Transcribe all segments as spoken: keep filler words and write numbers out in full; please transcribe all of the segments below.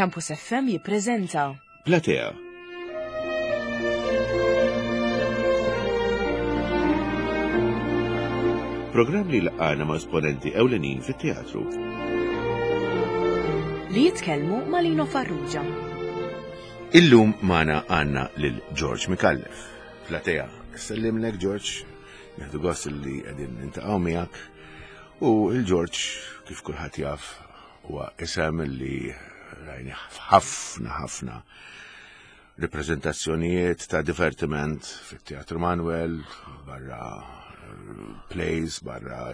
Campus F M jippreżenta Platea. Programm li laqana ma' esponenti ewlenin fit-teatru. Li jitkellmu ma' Lino Farrugia. Illum magħna għandna lil George Micallef. Platea, sellimlek, George, nieħdu gost li qegħdin niltaqgħu miegħek. U il-George, kif kulħadd jaf, huwa isem li rajni ħafna ħafna reprezentazzjonijiet ta' divertiment fit-Teatru Manuel, barra eh, plays, barra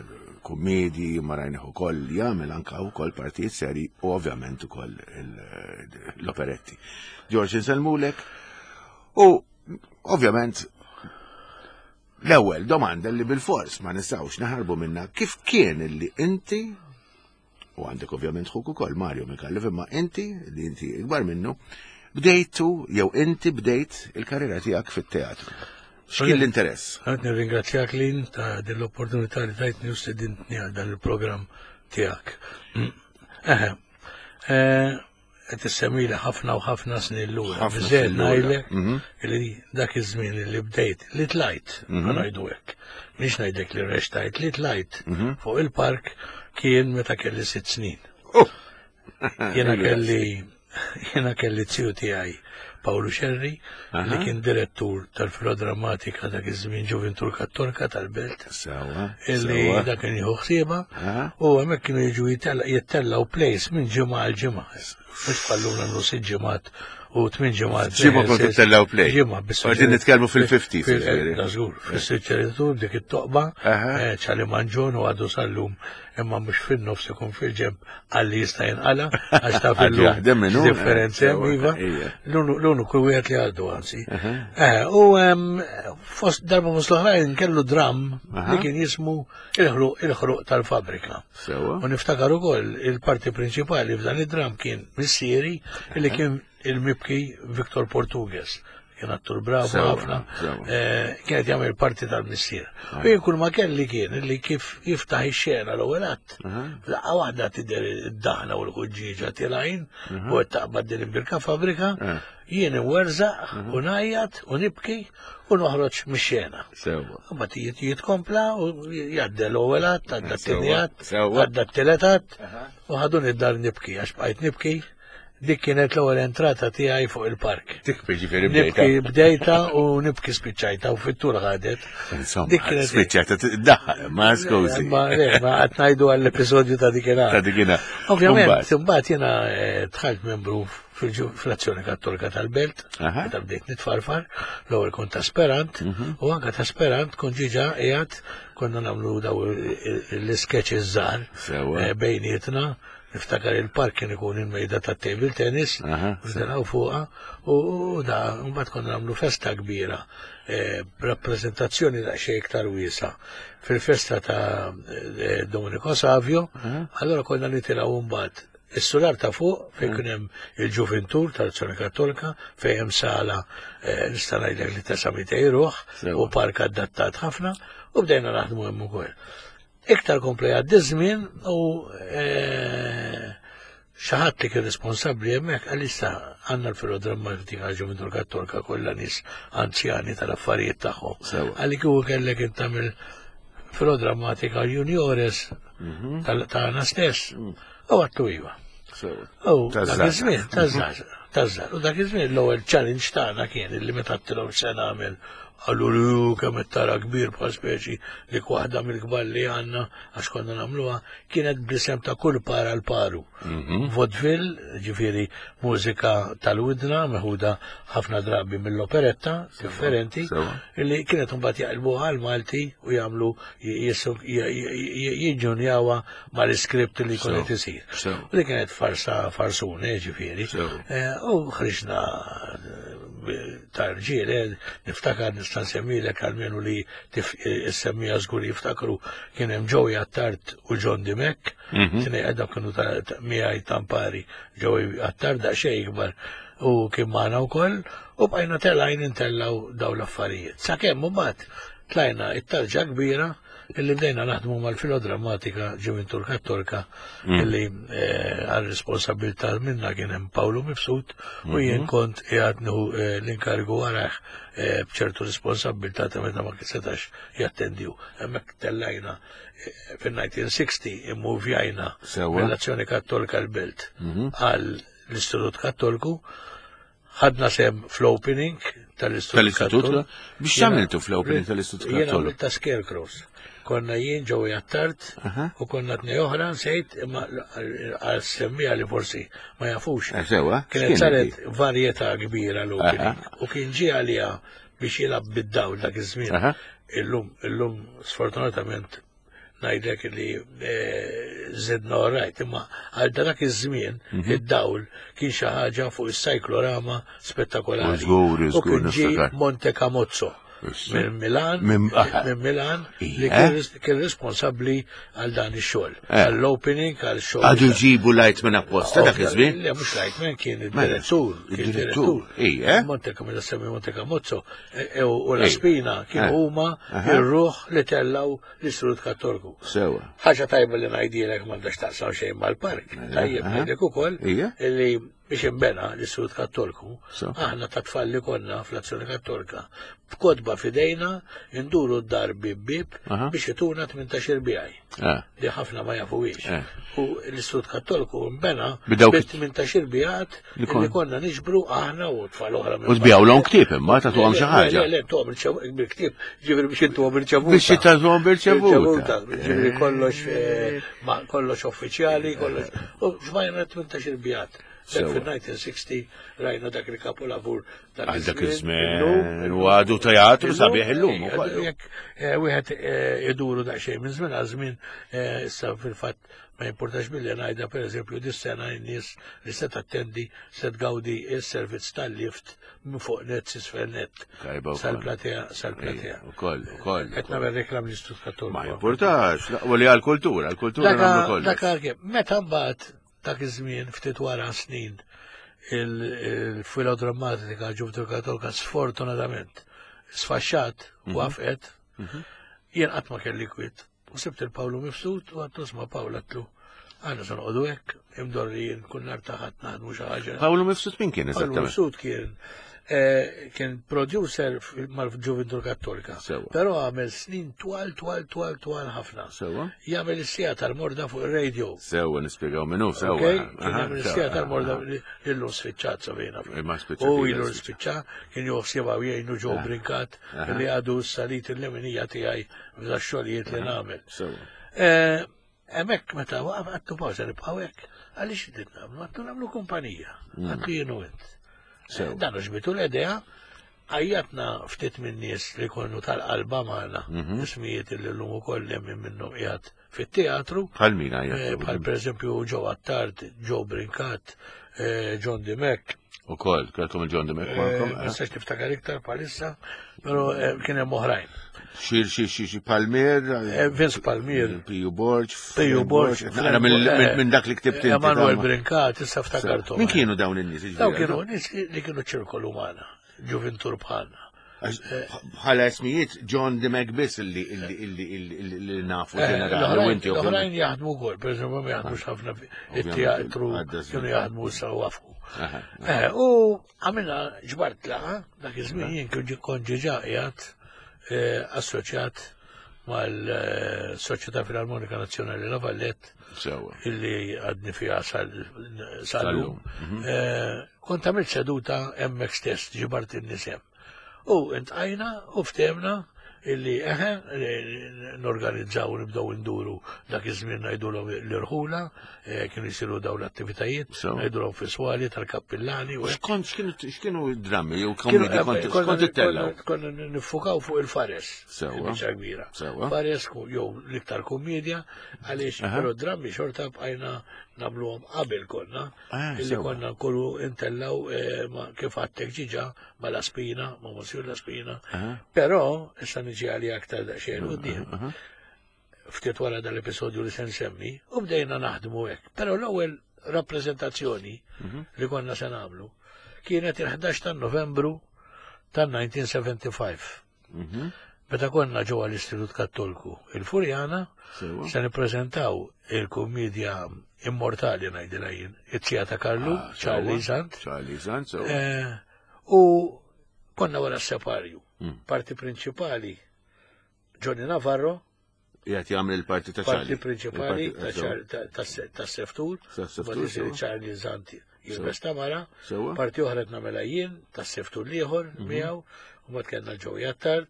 kummedji, ma rajnih ukoll jagħmel anka wkoll partijiet seri u ovvjament ukoll il- l-operetti. George, insellmulek u ovvjament l-ewwel domanda li bil-fors ma nistgħux naħarbu minna: kif kien illi inti u għandek ovvjament ħuk ukoll, Mario Micallef, imma inti li inti ikbar minnu, bdejtu jew inti bdejt il-karriera tiegħek fit-teatru? X'kien l-interess? Għad nirringrazzjak, Lin, ta' din l-opportunità li tajtni u stedintni għal dan il-programm tiegħek. Eħe, qed issemmili ħafna u ħafna snin lura. Ħafna Biżejjed snin lura. ngħidlek Mhm. li dak iż-żmien li bdejt, li tlajt, Mhm. ngħidu hekk. Mhix ngħidlek li rextajt, li tlajt Mhm. fuq il-park kien meta kelli sitt snin. Oh! Jena kelli jena kelli ziju tiegħi, Paolo Scerri, li Aha. kien direttur tal-filodrammatika dak iż-żmien, Ġuvintur Kattolika tal-Belt, Sewwa. illi sewwa. dak kien jieħu ħsieba Aha. u hemmhekk kienu jiġu jittella- jittellgħu plays minn ġimgħa għal ġimgħa. Mhux bħallum nagħmlu sitt ġimgħat u tmien ġimgħat. Ġimgħa kont tittellgħu play. Ġimgħa biss. U qegħdin nitkellmu fil-fifties, Fil- ġifieri. Da żgur, fis-suġġeritur dik it-toqba, Aha. eh, ċali manġon u għadu sal-lum, imma mhux fin-nofs, ikun fil-ġemb għalli jista' jinqala għax ta' Għadu fil-lum jaħdem minnu, eh, differenzi hemm, sewwa, iva. ija. L-uniku wieħed li għaddu anzi. Aha. Eh, u em, fost darba fost l-oħrajn kellu dram Aha. li kien jismu il-ħruq il-ħruq tal-fabrika. Sewwa. U niftakar ukoll il-parti prinċipali f'dan id-dram kien missieri, li kien il-mibki Victor Portugues. Kien attur bravo Sewwa, ħafna. sewwa. Eh, Kienet jagħmel parti tal-missier. U jien kull ma kelli kien li kif jiftaħ ix-xena l-ewwel att. Aha. Laqqa waħda tidher id-daħna u l-ħuġġieġa tilgħin u qed taqbad din il-birka fabrika, Eh. jien inwerżaq u ngħajjat u nibki u noħroġ mix-xena. Sewwa. Mbagħad jitkompla u jgħaddi l-ewwel att, għadda t-tieni Sewwa, att, sewwa. għadda t-tielet att u ħaduni d-dar nibki għax bqajt nibki. Dik kienet l-ewwel entrata tiegħi fuq il-park. Dik ġifieri bdejta. Nibki bdejta u nibki spiċċajta u fit-tul ħadet. Insomma, Dik kienet spiċċajta tiddaħħal, ma skużi. Ma le, ma qed ngħidu għall-episodju ta' dikinhar. Ta' dikinhar. Ovvjament, Mbagħad. imbagħad jiena eh, dħalt membru fil-ġu- fl-Azzjoni Kattolika tal-Belt, Aha. meta bdejt nitfarfar, l-ewwel kont aspirant, Mhm. u anke ta' aspirant kont ġiġa qiegħed konna nagħmlu daw l-sketches żgħar Sewwa. eh, bejnietna. Niftakar il-park kien ikun il-mejda ta' table tennis, Aha. u fuqa, u u da, mbagħad konna nagħmlu festa kbira, eh, rappreżentazzjoni daqsxejn iktar wiesa. Fil-festa ta' eh, Domenico Savio, allora konna nitilgħu mbagħad is-sular ta' fuq fejn kien hemm il-Ġuvintur tal-Azzjoni Kattolika, fejn hemm sala eh, nista' ngħidlek li tesa' mitej ruħ Sewwa. u park adattat ħafna, u bdejna naħdmu hemm ukoll. Iktar kompla jgħaddi żmien u eh, xi ħadd li kien responsabbli hemmhekk għal issa għandna l-filodrammatika Ġuvintur Kattolika kollha nies anzjani tal-affarijiet tagħhom. Sewwa. Għalli kieku kellek int tagħmel filodrammatika juniores Mhm. tal- tagħna stess. U għedtlu iva. Sewwa. U dak Taż-żgħar. iż-żmien, taż-żgħar, taż-żgħar. U dak iż-żmien l-ewwel challenge tagħna kien illi meta għedtilhom se nagħmel, qallu li hu kemm qed tara kbir, bħal speċi dik waħda mill-kbar li għandna, għax konna nagħmluha, kienet bl-isem ta' kull para l paru. Mhm. Vaudeville, ġifieri mużika tal-widna, meħuda ħafna drabi mill-operetta, differenti, sewwa. illi kienet mbagħad jaqilbuha għal Malti u jagħmlu jiġġunjawha mal-iskript li jkun qed isir. Sewwa. U li kienet farsa, farsune, ġifieri. Sewwa. Eh, U ħriġna eh, ta' rġiel, eh, niftakar nista' nsemmilek almenu li issemmija żgur jiftakru, kien hemm Joey Attard u John Dimek, Mhm. tnejn dawk kienu ta' ta' miegħi tampari. Joey Attard daqsxejn ikbar u kien magħna wkoll, u bqajna telgħin intellgħu daw l-affarijiet. Sakemm mbagħad tlajna it-tarġa kbira. Illi bdejna naħdmu mal-filodrammatika Ġuventur Kattolika Mm. illi eh, għal responsabilità minna kien hemm Pawlu Mifsud u jien Mhm. kont qiegħed nieħu eh, l-inkarigu warah eh, b'ċertu responsabilità ta' meta ma setax jattendiju. Hemmhekk tellajna eh, fin-elf disa' mija u sittin immuvjajna Sewwa. mill-Azzjoni Kattolika l-Belt Mhm. għal l-Istitut Kattoliku, ħadna sem fl-opening tal-Istitut Tal-Istitut? Kattoliku. Biex Jiena- x'għamiltu fl-opening tal-Istitut Jiena Kattoliku? għamilt ta' Scarecrows. Konna jien Joey Attard Aha. u konna tnej oħra nsejt imma għal semmija li forsi ma jafux. Eh, Sewwa, Kienet x'kienet saret varjetà kbira l-opening Aha. u kien ġie għalija biex jilgħab bid-dawl dak iż-żmien. Aha. Illum, illum sfortunatament ngħidlek li eh, zidna orajt, imma għal dak iż-żmien Mhm. id-dawl kien xi ħaġa fuq is-cyclorama spettakolari. U żgur, U żgur, kien ġie niftakar. Monte Camozzo Issa. minn Milan, Minn- aha. minn Milan li Ija. kien ris- kien responsabbli għal dan ix-xogħol, Eh. għall-opening, għal xogħol. Għadu ġibu light minn apposta dak iż-żmien? Le, mhux Lightman kien Mela, id-direttur. Kien id-direttur, ija. Monte Camozzo, semmi Monte Camozzo, e- e- u la Ej. Spina kienu Eh. huma Aha. ir-ruħ li tellaw l-Istitut Kattoliku. Sewwa. Ħaġa tajba li ngħidilek m'għandax taqsam xejn mal-park. Tajjeb aha. ngħidlek ukoll Ija. li biex imbena l-Istitut Kattoliku, So. aħna ta' tfal li konna fl-Azzjoni Kattolika, b'kotba fidejna, induru d-dar bib bib Aha. biex ituna tmintax-il bijaj Eh. li ħafna ma jafuwiex. Eh. U l-Istitut Kattoliku imbena B'dawk- bit tmintax-il bijat Li li kon- konna niġbru aħna u tfal oħra minn U tbijawlhom ktieb imma tagħtuhom xi ħaġa. Le, le, tuhom bil-ktieb, ġifieri biex intuhom irċevuta. Biex tagħtuhom b'irċevuta. Ġifieri kollox eh, ma kollox uffiċjali, kollox. U ġmajna tmintax-il bijat. Dak Sewwa. fil-elf disa' mija u sittin rajna dak il-kapolavur Għal dak iż-żmien Illum- u għadu teatru Illum, sabiħ illum eh, ukoll. Jekk eh, wieħed eh, iduru daqsxejn minn żmien għal żmien eh, issa fil-fatt ma importax billi ngħidha, pereżempju, dis-sena n-nies li se tattendi se tgawdi s-servizz tal-lift minn fuq net s'isfel net. Tajba wkoll. Sal-platea, sal-platea. Ukoll, ukoll. Qed nagħmel reklam l-Istitut Kattoliku. Ma importax, u li għal-kultura, għal-kultura nagħmlu kollox. Dak għal meta mbagħad dak iż-żmien ftit wara snin il-filodrammatika Ġuventur Kattolika sfortunatament sfaxxat Mhm. u waqfet, jien qatt ma kelli kwiet. U sibt il-Pawlu Mifsud u għedtlu, "Isma' Pawl," għedtlu, "għandna se noqogħdu hekk, imdor li jien kull nhar taħat naħdmu xi ħaġa." Pawlu Mifsud min kien Pawlu eżattament? Mifsud kien eh, kien producer mal-Ġuventur Kattolika. Sewwa. Però għamel snin twal, twal, twal, twal ħafna. Sewwa. Jagħmel is-siegħa tal-morda fuq ir-radio. Sewwa, nispjegaw minnu, sewwa. Ok, kien Aha, jagħmel sewwa, is-siegħa tal-morda aha. illum spiċċat sabina. Imma spiċċat U ilha ilu spiċċat. spiċċa, kien joħsieba u jgħinu Joe Brincat Aha. li għadu s-salit il-leminija tiegħi f'da xogħlijiet li nagħmel. Sewwa. Eh, Hemmhekk meta waqaf għedtlu, "Pawsa nibqgħu hekk, għaliex qed nagħmlu?" Għedtlu, "Nagħmlu kumpanija." Għedtlu, "Jien u int." Sewwa. Dan ġbitu l-idea, għajjatna ftit minn nies li konu tal-qalba magħna, Mhm. ismijiet li llum ukoll hemm minnhom qiegħed fit-teatru, Bħal min eh, għajjat? bħal per eżempju Joe Attard, Joe Brincat, eh, John Dimek, Ukoll, kellkom il-John Dimek eh, magħkom. ma nistax niftakar iktar bħalissa, però eh, kien hemm oħrajn. Xir, xir, xir, xir, Palmier. Eh, Vince Palmier, Piju Borg. Piju Borg, Naqra mill- minn dak li ktibt inti. Emanuel ta' Brincat, issa ftakartu. Min kienu dawn in-nies? jiġifieri? Dawn kienu nies li kienu ċirkolu magħna, ġuventur bħalna. Għax bħala ismijiet John Dimek biss illi illi illi illi illi nafu Eh, ġenerali u inti L-oħrajn ovvjament. jaħdmu wkoll, per eżempju, ma jaħdmux ħafna it-teatru għadda żmien. kienu jaħdmu issa waqfu. Aha, Eh, U għamilna ġbart laqa, dak iż-żmien jien kien kont ġiġa qiegħed eh, assoċjat mal-Soċjetà Filarmonika Nazzjonali La Vallette Sewwa. illi għadni fiha sal-lum. Sal-lum, mhm. Eh, Kont għamilt seduta hemmhekk stess, ġibart in-nies hemm. U intqajna u ftehmna illi eħe norganizzaw u nibdew induru dak iż-żmien ngħidulhom l-irħula, eh, kienu jsiru dawn l-attivitajiet, So. ngħidulhom fiswali tal-kappillani u hekk. X'kont x'kienu x'kienu drammi jew Kienu- komedi kont konna- x'kont ittellgħu? Konna konna nifukaw fuq il-fares. Sewwa. Il-biċċa kbira. Sewwa. Fares ku- jew l-iktar komedja, għaliex Aha. però drammi xorta bqajna nagħmluhom qabel konna, Ah, illi sewwa. konna nkunu intellaw eh, ma- kif għedtlek ġiġa ma La Spina, ma Monsieur La Spina. Aha. Però, issa niġi għali aktar daqsxejn quddiem, Aha. ftit wara dal-episodju li se nsemmi, u bdejna naħdmu hekk. Però l-ewwel rappreżentazzjoni Mhm. li konna se nagħmlu kienet il-ħdax ta' Novembru tan-elf disa' mija u ħamsa u sebgħin. Mhm. Meta konna ġewwa l-Istitut Kattoliku il-Furjana, se nippreżentaw il-kummedja immortali ngħidilha jien, it-tija ta' Karlu, Ah, Charlie sewwa. Sant. Charlie Sant, sewwa. Eh, U konna wara s-separju. Mm. Parti prinċipali Johnny Navarro, Jgħat jagħmel il-parti ta' parti Charlie. prinċipali Il-parti- ta' sewwa. Char- ta' ta' ta' Seftur, Ta' Seftur, mbagħad isir sewwa. Charlie Sant jilbes ta' mara, Sewwa. parti oħra qed nagħmilha jien, ta' Seftur l-ieħor Mhm. miegħu, u mbagħad kellna Joey Attard,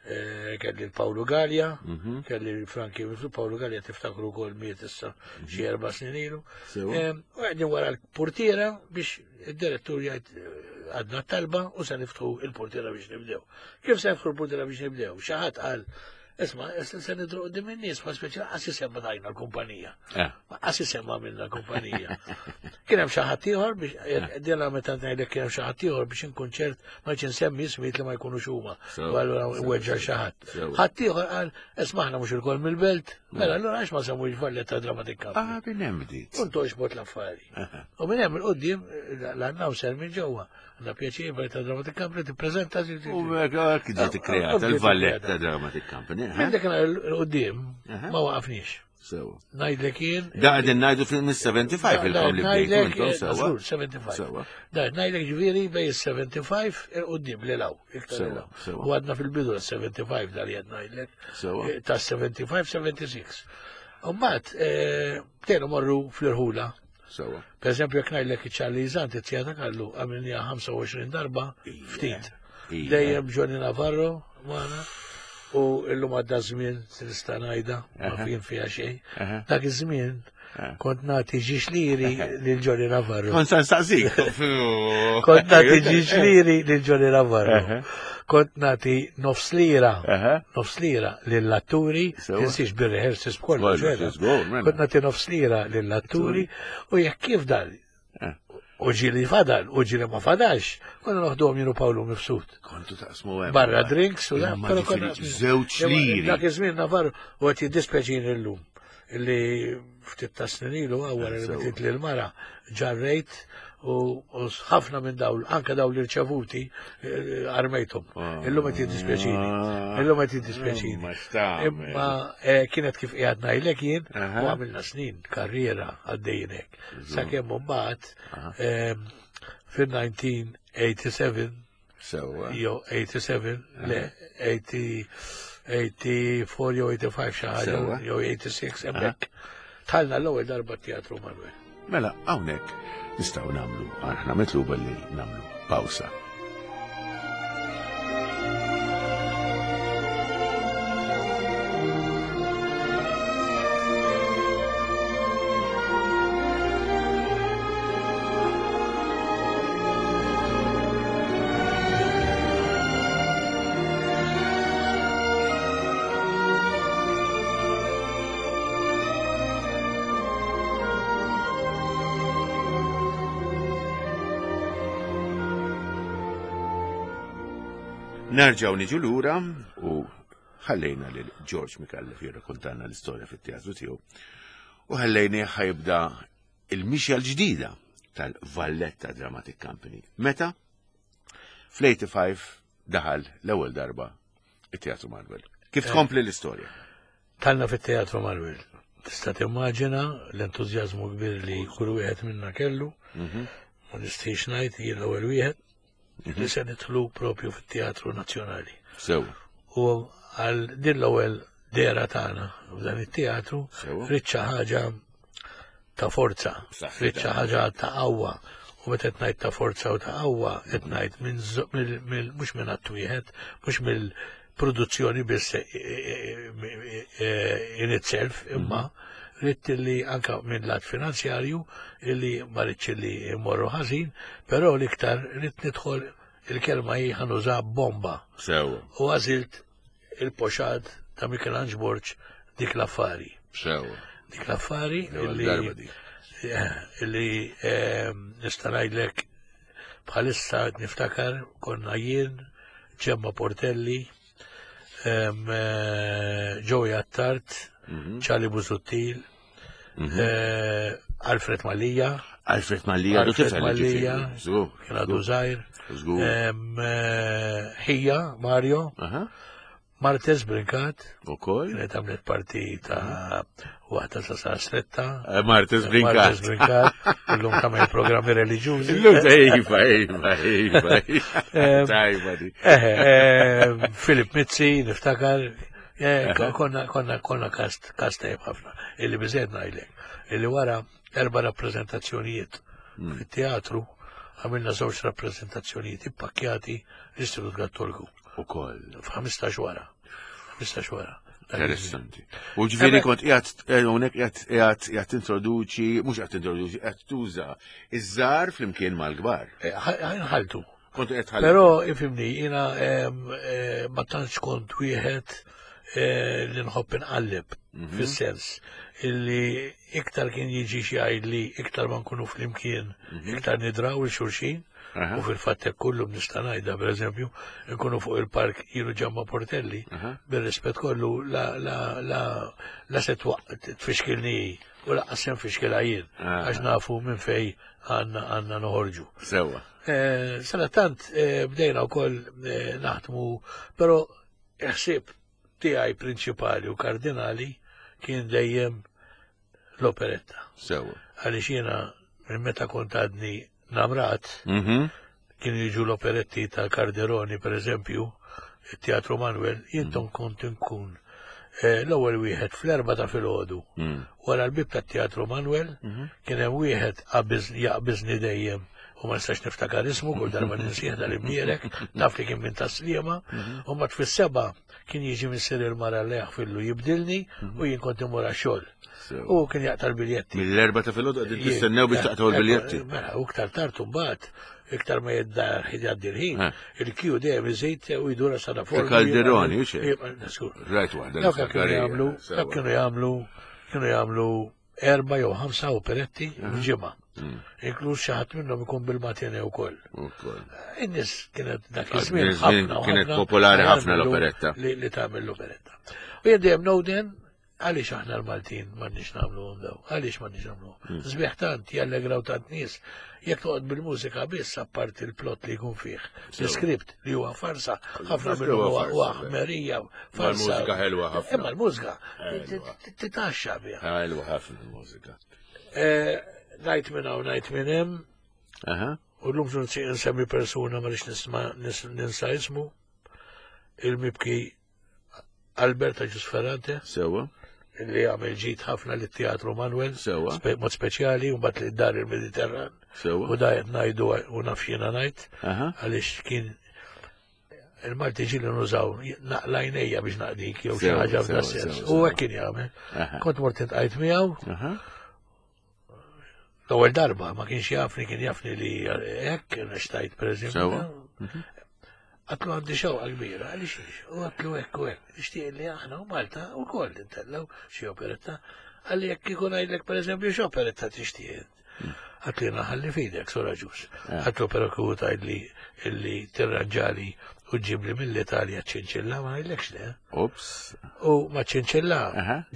eh, kelli l-Paolo Gallia, Mhm. kelli l-Franki Mifsud, Paolo Gallia tiftakru wkoll miet issa xi erba' snin ilu. Sewwa. Em, U għedin wara l-portiera biex id-direttur jgħid eh, għadna talba u se niftħu il-portiera biex nibdew. Kif se niftħu il-portiera biex nibdew? Xi ħadd qal, isma' issa se nidru qudiem in-nies, ma speċi qas isemma tajna l-kumpanija. Eh. Ma qas isemma minna l-kumpanija. Kien hemm xi ħadd ieħor biex dela meta ngħidlek kien hemm xi ħadd ieħor biex inkun ċert ma rridx insemmi ismijiet li ma jkunux huma. Sew, U allura sew, weġġa' xi ħadd. sew. Ħadd ieħor qal, isma' aħna mhux ilkoll mill-belt, mela allura għax ma semmux Valletta Dramatic Company. Ah, minn hemm bdiet. Kun toġbot l-affari. U minn hemm il-qudiem l-announcer minn ġewwa. Għandna pjaċir Valletta Dramatic Company tippreżenta. U hekk ġiet ikkreata il-Valletta Dramatic Company. eh? Minn dak il-qudiem Aha. ma waqafniex. Sewwa. Ngħidlek jien. Da qegħdin ngħidu fil-sebgħa u sebgħin ilkom li bdejtu Ngħidlek, intom eh, sewwa. żgur, sebgħa u sebgħin. Sewwa. Da, ngħidlek ġifieri bej is-sebgħa u sebgħin il-qudiem li law, iktar li Sewwa, law. sewwa. U għadna fil-bidu tas-sebgħa u sebgħin dal jgħid ngħidlek. Sewwa. Eh, Ta' sebgħa u sebgħin, sebgħa u sebgħin. U mbagħad eh, bdejna morru fl-irħula. Sewwa. Per eżempju, jekk ngħidlek iċ-Charlie Sant, it-tija ta' Karlu, għamilniha ħamsa u għoxrin darba, ftit. Ija. Dejjem Johnny Navarro magħna, u illum għadda żmien nista' ngħidha, ma Aha. fien fiha xejn. Aha. Dak iż-żmien Eh. kont nagħti ġiex liri lil Johnny Navarro. Kont sa nsaqsik. Kont nagħti ġiex liri lil Johnny Navarro. Aha. Kont nagħti nofs lira, Aha. nofs lira lill-atturi, Sewa. tinsiex bir-rehearsals b'kollox. Kollox, vera. żgur, mela. Kont nagħti nofs lira lill-atturi u jekk kif dan Eh. u ġili fadal, u ġili ma fadalx, konna noħduhom jien u Pawlu Mifsud. Kontu taqsmu hemm. Barra drinks u da, Imma però konna ġifieri żewġ liri. Dak iż-żmien Navarro u qed jiddispjaċini llum illi ftit ta' snin ilu wara li Sewa. bdiet lil mara ġarrejt u u ħafna minn dawn, anke dawn li rċevuti eh, armejthom. Ah. Illum qed jiddispjaċini. Illum qed jiddispjaċini. Imma x'tagħmel. Imma eh, kienet kif qiegħed ngħidlek jien Aha. u għamilna snin karriera għaddejjin hekk. Sakemm imbagħad ehm, fil-nineteen eighty-seven Sewwa. jew eighty-seven, le, eighty, eighty-four jew eighty-five xi ħaġa Sewwa. jew eighty-six hemmhekk. Tħallna l-ewwel darba Teatru Manuel. Mela, hawnhekk nistgħu nagħmlu, aħna mitluba li nagħmlu pawsa. Nerġgħu niġu lura u ħallejna lil George Micallef jirrakkontanna l-istorja fit-teatru tiegħu u ħallejni ħajbda il-mixja l-ġdida tal-Valletta Dramatic Company. Meta fl-eighty-five daħal l-ewwel darba it-Teatru Manuel. Kif tkompli l-istorja? Talna fit-Teatru Manuel. Tista' timmaġina l-entużjażmu kbir li kull wieħed minna kellu. Ma nistgħix ngħid jien l-ewwel wieħed li se nidħlu propju fit-Teatru Nazzjonali. Sew. U għal din l-ewwel dehra tagħna f'dan it-teatru Sewa. ridt xi ħaġa ta' forza, Saħħitha. ridt xi ħaġa ta' qawwa. U meta qed ngħid ta' forza u ta' qawwa, qed ngħid minn zo- mill- mill- mhux minn att wieħed, mhux mill-produzzjoni biss eh, eh, eh, in itself, imma ridt li anka minn lat finanzjarju illi ma rridx li jmorru ħażin, però l-iktar ridt nidħol il-kelma hi ħa nuża bomba. Sewa. U għażilt il-poxad ta' Michelangelo Borg, dik l-affari. Sewa. Dik l-affari L-ewwel illi darba dik. Eh, illi ehm, nista' ngħidlek bħalissa qed niftakar konna jien, Ġemma Portelli, ehm, eh, Joey Attard, Mhm. Charlie Busuttil, eh, Alfred Mallia, Alfred Mallia, għadu Alfred tifel Mallia, ġifieri. Żgur. kien għadu żgħir, Żgur. ehm, eh, Ħija, Mario, Aha. Martez Brincat. Ukoll. Kienet għamlet parti ta' waħda ta' sa' stretta. Eh, Martez Brincat. Martez Brincat. Illum tagħmel programmi reliġjużi. Illum iva, iva, iva. Tajba di. Eh, Filip Mizzi, niftakar. Eh, konna konna konna kast kast tajjeb ħafna. Illi biżejjed ngħidlek. Illi wara erba' rappreżentazzjonijiet hmm. fit-teatru għamilna żewġ rappreżentazzjonijiet ippakkjati l-Istitut Kattoliku. Ukoll. F'ħmistax wara. Ħmistax wara. Interessanti. U ġifieri kont qiegħed eh, hawnhekk qiegħed qiegħed qiegħed tintroduċi, mhux qiegħed tintroduċi, qiegħed tuża iż-żgħar flimkien mal-kbar. Eh, ħaltu. Kont qiegħed ħaltu. Però ifhimni, jiena eh, ma tantx kont wieħed li nħobb inqalleb mhm. fis-sens illi iktar kien jiġi xi jgħidli iktar ma nkunu flimkien, mhm. iktar nidraw il xulxin. U fil-fatt hekk kollu nista' ngħidha pereżempju, nkunu fuq il-park jienu Ġamma Portelli, bir-rispett kollu la la la la se tfixkilni u laqqas se nfixkilha jien għax nafu minn fej għandna għandna noħorġu. Sewwa. Eh, Sadattant eh, bdejna wkoll eh, naħdmu, però ħsieb tiegħi prinċipali u kardinali kien dejjem l-operetta. Sewwa. Għaliex jiena minn meta kont għadni namrat, mhm. kienu jiġu l-operetti tal-Carderoni, per eżempju, il-Teatru Manuel, jintom mhm. kont inkun eh, l-ewwel wieħed fl-erba ta' filgħodu. Mhm. Wara l-bib tat-Teatru Manuel kien hemm wieħed jaqbiżni dejjem u ma nistax niftakar ismu kull darba ninsieħ dal-imbierek, naf li kien minn tas-Sliema, u mbagħad fis-seba' kien jiġi missier il-mara li jaħfillu jibdilni u jien kont immur għax-xogħol. U kien jaqta' l-biljetti. Mill-erba ta' filgħodu qegħdin tistennew biex taqtgħu l-biljetti. Mela, u iktar tard imbagħad, iktar ma jiddar jgħaddi l-ħin, il-kju dejjem iżid u jdura sana fuq. Calderoni, u xejn. Rajt waħda. Dawk kienu jagħmlu, dawk kienu jagħmlu, kienu jagħmlu erba' jew ħamsa operetti f'ġimgħa. Mm. Inkluż xi ħadd minnhom ikun bil-matine wkoll. Ukoll. In-nies kienet dak iż-żmien ħafna kienet popolari ħafna l-operetta. Li tagħmel l-operetta. U jien dejjem nowden għaliex aħna l-Maltin m'għandniex nagħmluhom daw, għaliex m'għandniex nagħmluhom. Mm. Sbieħ tant jallegraw tant nies, jekk toqgħod bil-mużika biss apparti l-plot li jkun fih, l-iskript li huwa farsa, ħafna minnu huwa ħmerija, farsa. L-mużika ħelwa ħafna. Imma l-mużika titaxxa biha. Ħelwa ħafna l-mużika. Eh, ngħid minn hawn ngħid minn hemm. U llum nsemmi persuna ma rridx nisma' ninsa ismu, il-mibki Alberta Ġus Ferrante. Sewa. Li għamel ġid ħafna lit teatru Manuel. Sewa. Mod speċjali, u mbagħad li dar il-Mediterran. Sewa. U da qed ngħidu u naf jiena ngħid. Għaliex kien il-Malti ġieli nużaw naqlajnejja biex naqdik jew xi ħaġa f'da sens. U hekk kien jagħmel. Kont mort intqajt miegħu. L-ewwel darba ma kienx jafni, kien jafni li hekk xtajt pereżempju. Għatlu għandi xewqa kbira, għaliex ix, u għatlu hekk u hekk, nixtieq li aħna u Malta wkoll intellgħu xi operetta, għalli jekk ikun ngħidlek pereżempju x'operetta tixtieq. Għatlu jiena ħalli f'idek, Sora Ġus. Għatlu però kieku tgħidli illi tirranġali u ġibli mill-Italja ċinċilla ma ngħidlekx le. Ups. U ma ċinċilla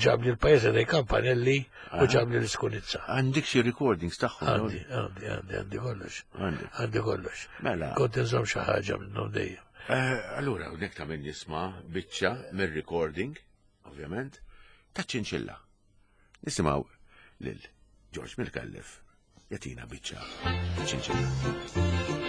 ġabli l-pajjiż dei Campanelli u ġabli l-Iskunizza. Għandek xi recordings tagħhom? Għandi, għandi, għandi, għandi kollox. Għandi kollox. Mela. Kont inżomm xi ħaġa minnhom dejjem. Allura, hawnhekk ta' min jisma' biċċa mir-recording, ovvjament, ta' ċinċilla. Nisimgħu lil George Micallef jagħtina biċċa ċinċilla.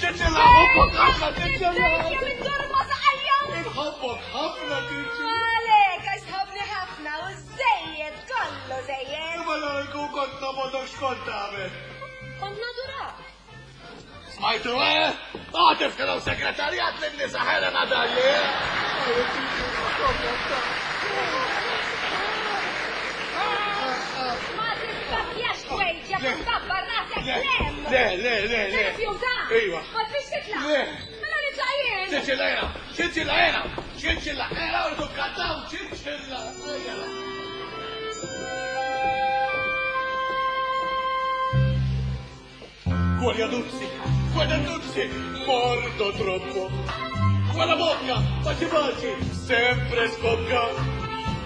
ċinċilla, ħobbok ħafna ċinċilla. Inħobbok ħafna ċinċilla. Għalek, għax tħobbni ħafna u żejjed kollu żejjed. Imma la jkun kont nobodok x'kont tagħmel. Kont nadurak. Smajtu, eh? Għatif kienu segretarjat lin-nisa Helena Dalli, eh? Ma tispakjax kwejġa, tabbar rasek lem. Le, le, le, le. Tirrifjuta? Iva. Ma trix titlaq? Le. Mela nitlaq jien. Ċinċilla jena, ċinċilla jena, ċinċilla jena, u tukkantaw ċinċilla. Golja Duzzi, Quella tutti mordo troppo. Quella bocca, baci baci, sempre scocca.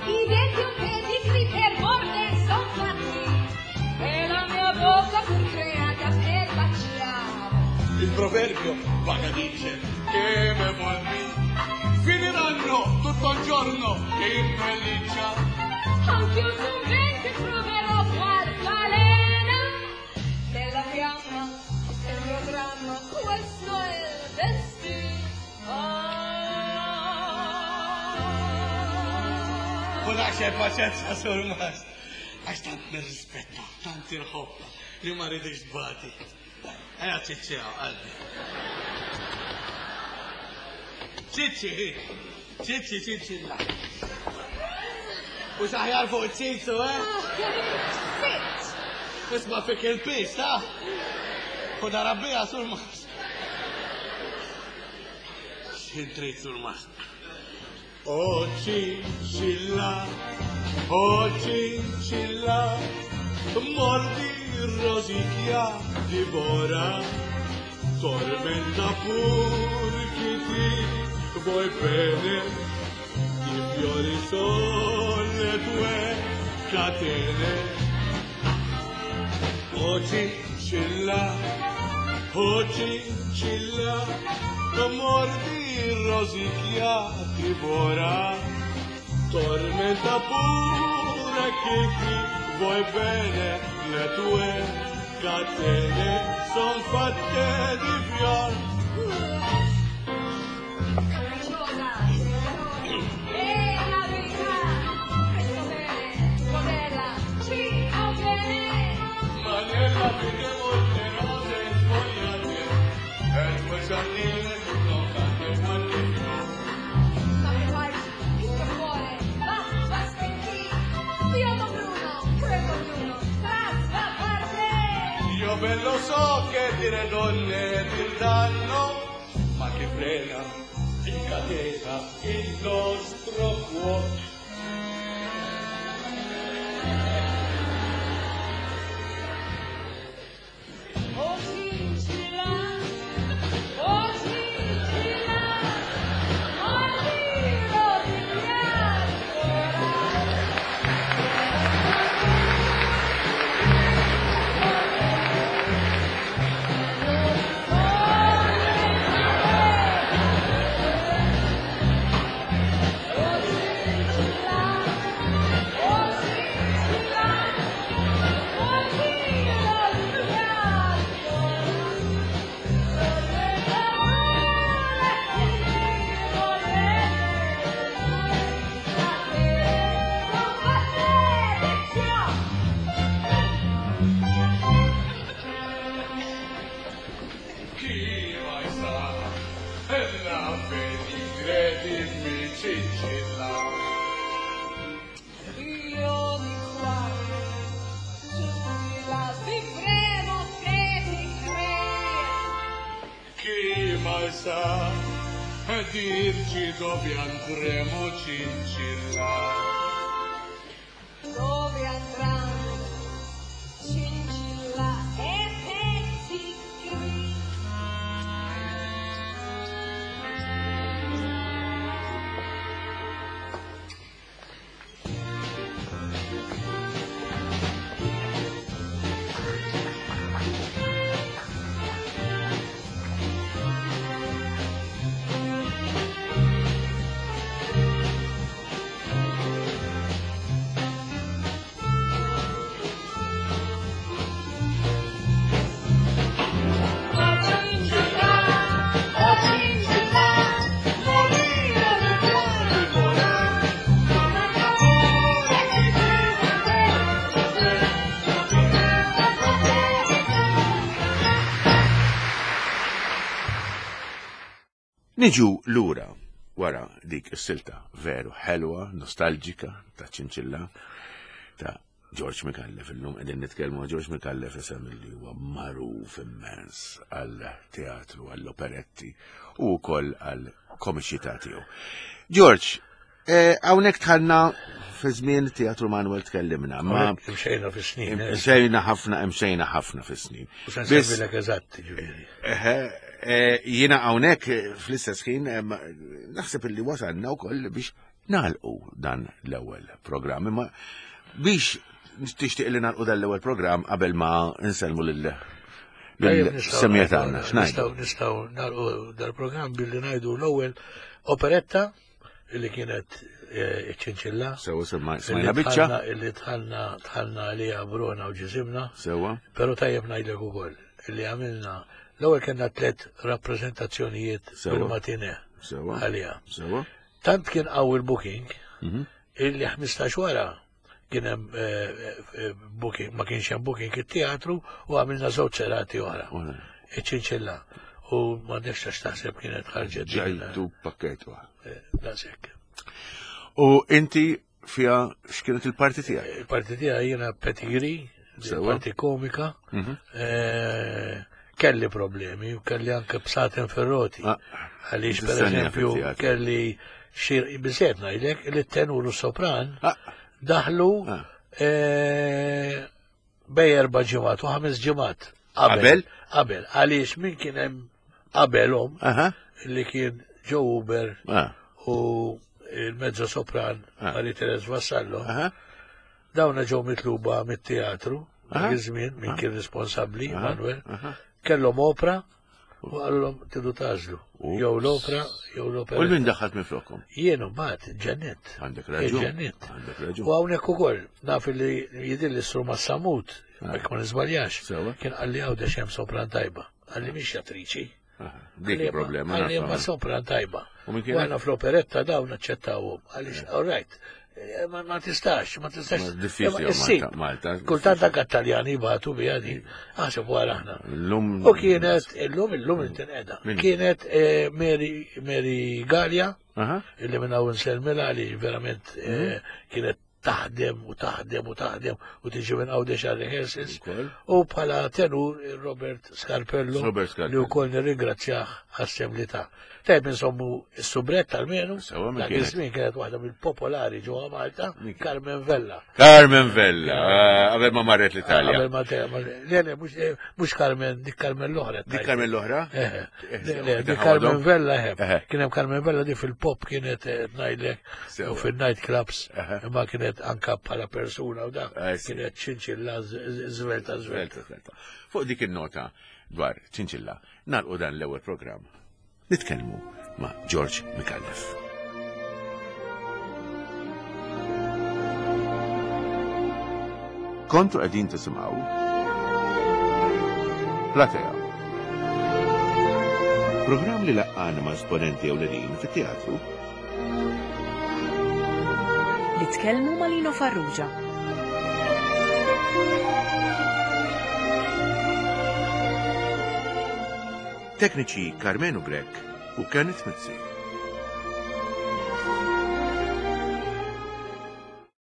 I denti un pedigree per morte son fatti, e la mia bocca fu creata per baciare. Il proverbio vaga dice che me volvi finiranno tutto il giorno in pelliccia. Anch'io son venti proverò qualche alena nella fiamma del mio dramma, questo è il destino. Kunax paċenza sur mas. Għax tant nirrispetta, tant inħobba li ma rridx tbati. Ejja ċiċċi qalbi. Ċiċċi, ċiċċi, ċiċċi la. U xaħjar fuq ċiċċu, eh? Sitt! Isma fik il-pis, ta? U darabbija sur mas. X'intrid sur mas? Oh cincilla, oh cincilla, mordi, rosicchia, divora, tormenta pur chi ti vuoi bene, i fiori son le tue catene. Oh cincilla, oh cincilla, mordi, rosicchia, divora, tormenta pure chi ti vuoi bene, le tue catene son fatte di fior. Capricciosa, e la verità, questo bene, tua bella, ci avviene. Ma nella vita molte rose sfogliate, e il tuo giardino tutto cade qualche fiore. Ma che fai? Il tuo cuore va, va spenti. Biondo bruno, credo bruno, va parte. Io ben lo so che dire donne dir danno, ma che frena, incatena il nostro cuore. Oh cincilla, oh cincilla, mordi, rosicchia, divora. Oh cincilla, oh cincilla, mordi, rosicchia, divora. Chi mai sa, e la fede credimi cincilla. Io di qua, giù di là, vivremo se ti credi. Chi mai sa, e dirci dove andremo cincilla. Dove andranno cincilla e pezzi gris? Oh cincilla, oh cincilla, morire di cuore volare, come pure che ti Niġu lura wara dik is-silta veru ħelwa, nostalġika ta' ċinċilla ta' George Micallef. Illum qegħdin nitkellmu ma' George Micallef, isem li huwa magħruf immens għal teatru, għall operetti u wkoll għal komiċità tiegħu. George, Eh, hawnhekk dħalna fi żmien Teatru Manuel tkellimna, ma Imxejna fis-snin. eh. imxejna ħafna, imxejna ħafna fis-snin. U se Biss- nsemmilek eżatt, ġifieri. Eħe, eh, Jiena hawnhekk eh, fl-istess ħin eh, ma- naħseb illi wasalna wkoll biex nagħlqu dan l-ewwel programm. Imma biex tixtieq li nagħlqu dan l-ewwel programm qabel ma nsellmu lil Tajjeb, nistgħu lil-semija ngħidu- tagħna. X'ngħidu? Nistgħu nistgħu nagħlqu dal-programm billi ngħidu l-ewwel operetta illi kienet eh, iċ-ċinċilla. Sewa semma- Illi smajna biċċa. dħalna- Illi dħalna dħalna għalija Bruna u ġisimna. Sewa. Pero tajjeb ngħidlek ukoll illi għamilna l-ewwel kellna tliet rappreżentazzjonijiet Sewa. bil-matine Sewa. għalija. Sewa. Tant kien qawwi l-booking Mhm. illi ħmistax wara kien hemm eh, eh, booking, ma kienx hemm booking it-teatru u għamilna żewġ serati oħra. Oħra. Iċ-ċinċilla. U ma nifx taħseb kienet ħarġet. din, Ġajtu pakket waħed. eh, Daqshekk. U inti fija x'kienet il-parti tiegħek? Il-parti tiegħi jiena pedigree, Sewa. parti komika, Mhm. eh, kelli problemi u kelli anke bsaten ferroti. Ah, Għaliex per tistenja eżempju fit-teatru. kelli xir biżejjed ngħidlek li t-tenur u sopran Ah, daħlu Ah. eh, bej erba' ġimgħat u ħames ġimgħat. Qabel? Qabel. Għaliex min kien hemm qabelhom Aha. li kien Joe Uber Ah, u il-mezzo sopran Ah. Marie Therese Vassallo. Aha. Dawna ġew mitluba mit-teatru, Aha. dak iż-żmien min kien responsabbli, Aha. Manuel, Aha. kellhom opra u qalulhom tidu tażlu. Ups. Jew l-opra, jew l-opera. U l-min daħħat minn flokom? Jien mbagħad ġennet. Għandek raġun. Ġennet. Għandek raġun. U hawnhekk ukoll naf li jidhir li s-sur Massamut, jekk ma niżbaljax, Sewa. kien qalli għawdex hemm sopran tajba. Qalli mhix attriċi. Aha, Dik il-problema. Qalli nafha. ma sopran tajba. U min U kienet? għana fl-operetta dawn aċċettawhom. Għaliex, all right, eh, ma ma tistax, ma tistax. Ma diffiċli Imma issib. Malta- Malta. Kultant anke Taljani batu bija din. Aħseb wara aħna. L-lum. U kienet, illum, illum intinqeda. Min? Kienet eh, Mary, Mary Gallia, Aha. illi minn hawn nsellmilha li verament Mhm. eh, kienet taħdem u taħdem u taħdem u tiġi minn Għawdex għal rehearsals. Ukoll. U bħala tenur Robert Scarpello, Robert Scarpello. li wkoll nirringrazzjah għas-sem li ta. Tajb insommu s-subrett almenu, Sewa, min dak kienet? iż-żmien kienet waħda mill-popolari ġewwa Malta, Min kienet? Carmen Vella. Carmen Vella, eh, qabel ma marret l-Italja. Qabel ma te- ma- Le, le, mhux eh, mhux Carmen, dik Carmen l-oħra. Dik Carmen l-oħra? Eh, Eh, le, le, dik dik Carmen ħawadhom? Vella, eh, Eħe. kien hemm Carmen Vella di fil-pop kienet eh, ngħidlek Sewa. u fil-night clubs, Eħe. imma kienet anka bħala persuna u da, Eh, sì. kienet ċinċilla z- zvelta zvelta. Svelta, svelta. Fuq dik il-nota dwar ċinċilla, nalqu dan l-ewwel programm. Nitkellmu ma' George Micallef. Kontu qegħdin tisimgħu Platea. Programm li laqqana ma' esponenti ewlenin fit-teatru Nitkellmu ma' Lino Farrugia. Tekniċi Carmenu Grek u Kenneth Mizzi.